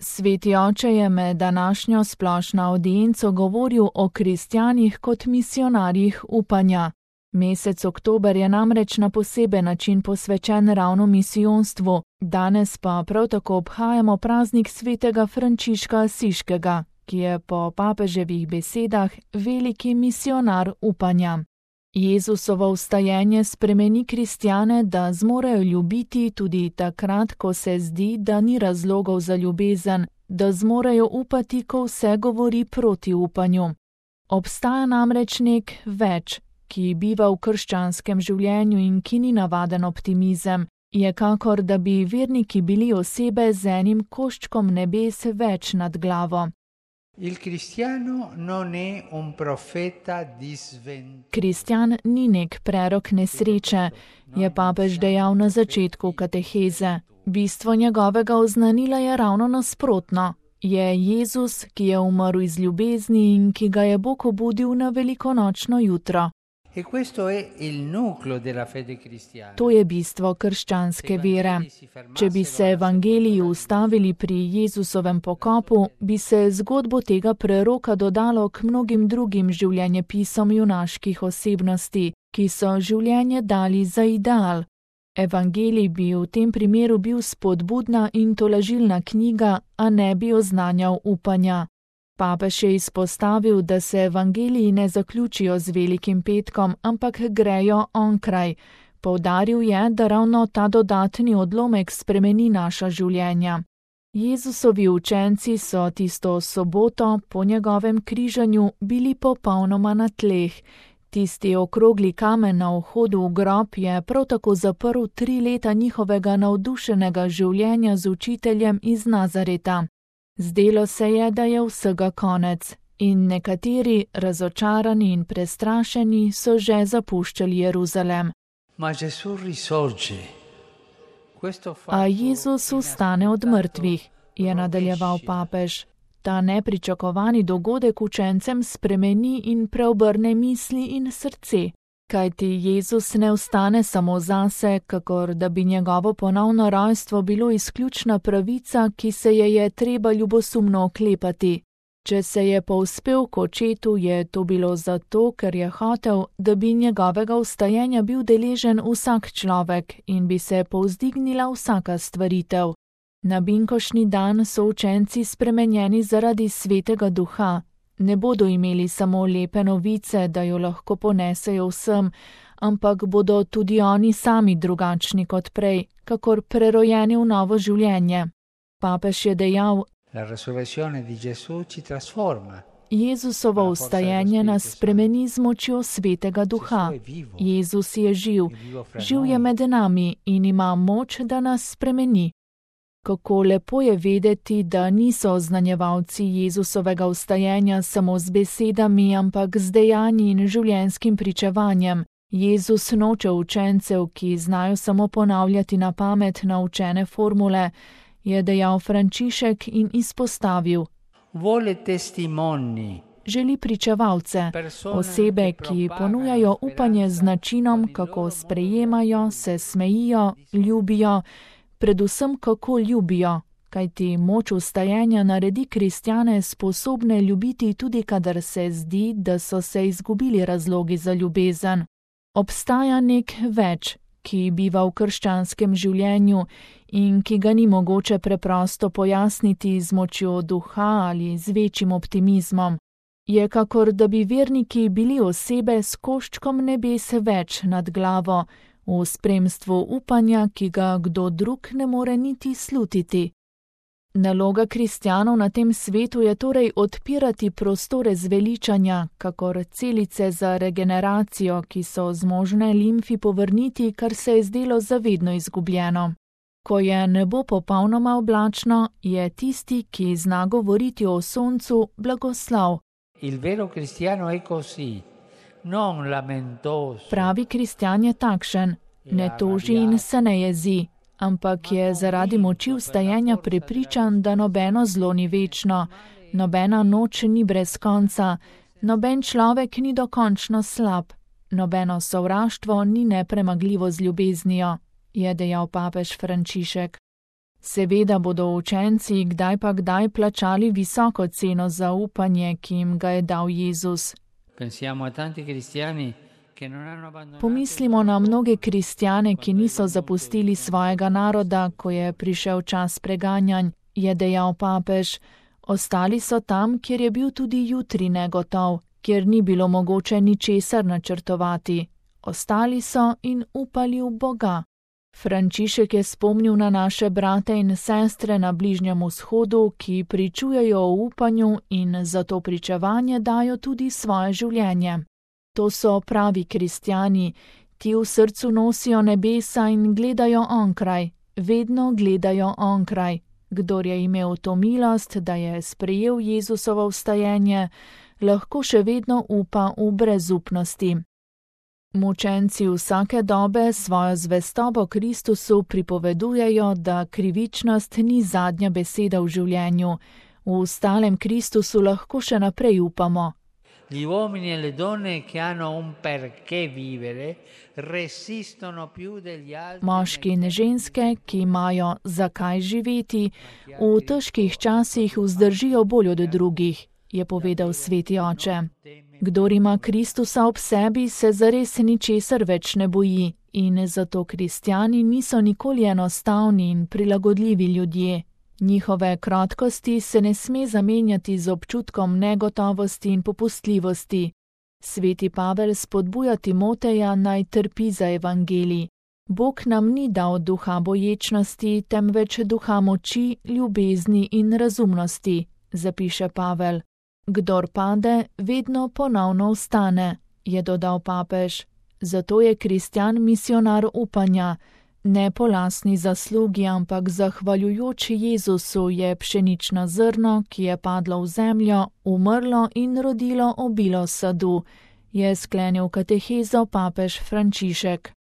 Sveti oče je med današnjo splošno audienco govoril o kristjanih kot misionarjih upanja. Mesec oktober je namreč na poseben način posvečen ravno misijonstvu, danes pa prav tako obhajamo praznik svetega Frančiška Asiškega, ki je po papeževih besedah veliki misionar upanja. Jezusovo vstajenje spremeni kristjane, da zmorejo ljubiti tudi takrat, ko se zdi, da ni razlogov za ljubezen, da zmorejo upati, ko vse govori proti upanju. Obstaja namreč nek več, ki biva v krščanskem življenju in ki ni navaden optimizem, je kakor da bi verniki bili osebe z enim koščkom nebes več nad glavo. Kristjan ni nek prerok nesreče, je papež dejal na začetku kateheze. Bistvo njegovega oznanila je ravno nasprotno. Je Jezus, ki je umrl iz ljubezni in ki ga je Bog obudil na velikonočno jutro. To je bistvo krščanske vere. Če bi se evangeliji ustavili pri Jezusovem pokopu, bi se zgodbo tega preroka dodalo k mnogim drugim življenjepisom junaških osebnosti, ki so življenje dali za ideal. Evangelij bi v tem primeru bil spodbudna in tolažilna knjiga, a ne bi oznanjal upanja. Papež je izpostavil, da se evangeliji ne zaključijo z velikim petkom, ampak grejo onkraj. Poudaril je, da ravno ta dodatni odlomek spremeni naša življenja. Jezusovi učenci so tisto soboto po njegovem križanju bili popolnoma na tleh. Tisti okrogli kamen na vhodu v grob je prav tako zaprl 3 leta njihovega navdušenega življenja z učiteljem iz Nazareta. Zdelo se je, da je vsega konec, in nekateri, razočarani in prestrašeni, so že zapuščali Jeruzalem. A Jezus vstane od mrtvih, je nadaljeval papež. Ta nepričakovani dogodek učencem spremeni in preobrne misli in srce. Kajti Jezus ne vstane samo zase, kakor da bi njegovo ponovno rojstvo bilo izključna pravica, ki se je treba ljubosumno oklepati. Če se je povzpel k očetu, je to bilo zato, ker je hotel, da bi njegovega vstajenja bil deležen vsak človek in bi se povzdignila vsaka stvaritev. Na binkošnji dan so učenci spremenjeni zaradi Svetega Duha. Ne bodo imeli samo lepe novice, da jo lahko ponesejo vsem, ampak bodo tudi oni sami drugačni kot prej, kakor prerojeni v novo življenje. Papež je dejal: Jezusovo vstajenje nas spremeni z močjo Svetega Duha. Jezus je živ, živ je med nami in ima moč, da nas spremeni. Kako lepo je vedeti, da niso oznanjevalci Jezusovega vstajenja samo z besedami, ampak z dejanji in življenjskim pričevanjem. Jezus noče učencev, ki znajo samo ponavljati na pamet naučene formule, je dejal Frančišek in izpostavil. Želi pričevalce, osebe, ki ponujajo upanje z načinom, kako sprejemajo, se smejijo, ljubijo, predvsem kako ljubijo, kajti moč vstajenja naredi kristjane sposobne ljubiti tudi kadar se zdi, da so se izgubili razlogi za ljubezen. Obstaja nek več, ki biva v krščanskem življenju in ki ga ni mogoče preprosto pojasniti z močjo duha ali z večjim optimizmom. Je kakor da bi verniki bili osebe s koščkom nebes več nad glavo, v spremstvu upanja, ki ga kdo drug ne more niti slutiti. Naloga kristjanov na tem svetu je torej odpirati prostore zveličanja, kakor celice za regeneracijo, ki so zmožne limfi povrniti, kar se je zdelo zavedno izgubljeno. Ko je nebo popolnoma oblačno, je tisti, ki zna govoriti o soncu, blagoslov. Pravi kristjan je takšen, ne toži in se ne jezi, ampak je zaradi moči vstajenja prepričan, da nobeno zlo ni večno, nobena noč ni brez konca, noben človek ni dokončno slab, nobeno sovraštvo ni nepremagljivo z ljubeznijo, je dejal papež Frančišek. Seveda bodo učenci kdaj pa kdaj plačali visoko ceno za upanje, ki jim ga je dal Jezus. Pomislimo na mnoge kristjane, ki niso zapustili svojega naroda, ko je prišel čas preganjanj, je dejal papež. Ostali so tam, kjer je bil tudi jutri negotov, kjer ni bilo mogoče ničesar načrtovati. Ostali so in upali v Boga. Frančišek je spomnil na naše brate in sestre na Bližnjem vzhodu, ki pričujejo o upanju in za to pričevanje dajo tudi svoje življenje. To so pravi kristjani, ti v srcu nosijo nebesa in gledajo onkraj, vedno gledajo onkraj. Kdor je imel to milost, da je sprejel Jezusovo vstajenje, lahko še vedno upa v brezupnosti. Mučenci vsake dobe svojo zvestobo Kristusu pripovedujejo, da krivičnost ni zadnja beseda v življenju. V stalem Kristusu lahko še naprej upamo. Gli uomini e le donne che hanno un perché vivere resistono più degli altri. Moški in ženske, ki imajo zakaj živeti, v težkih časih vzdržijo bolj od drugih, je povedal sveti oče. Kdor ima Kristusa ob sebi, se zares ničesar več ne boji in zato kristjani niso nikoli enostavni in prilagodljivi ljudje. Njihove krotkosti se ne sme zamenjati z občutkom negotovosti in popustljivosti. Sveti Pavel spodbuja Timoteja, naj trpi za evangelij. Bog nam ni dal duha boječnosti, temveč duha moči, ljubezni in razumnosti, zapiše Pavel. Kdor pade, vedno ponovno vstane, je dodal papež. Zato je kristjan misionar upanja. Ne po lastni zaslugi, ampak zahvaljujoč Jezusu je pšenično zrno, ki je padlo v zemljo, umrlo in rodilo obilo sadu, je sklenil katehezo papež Frančišek.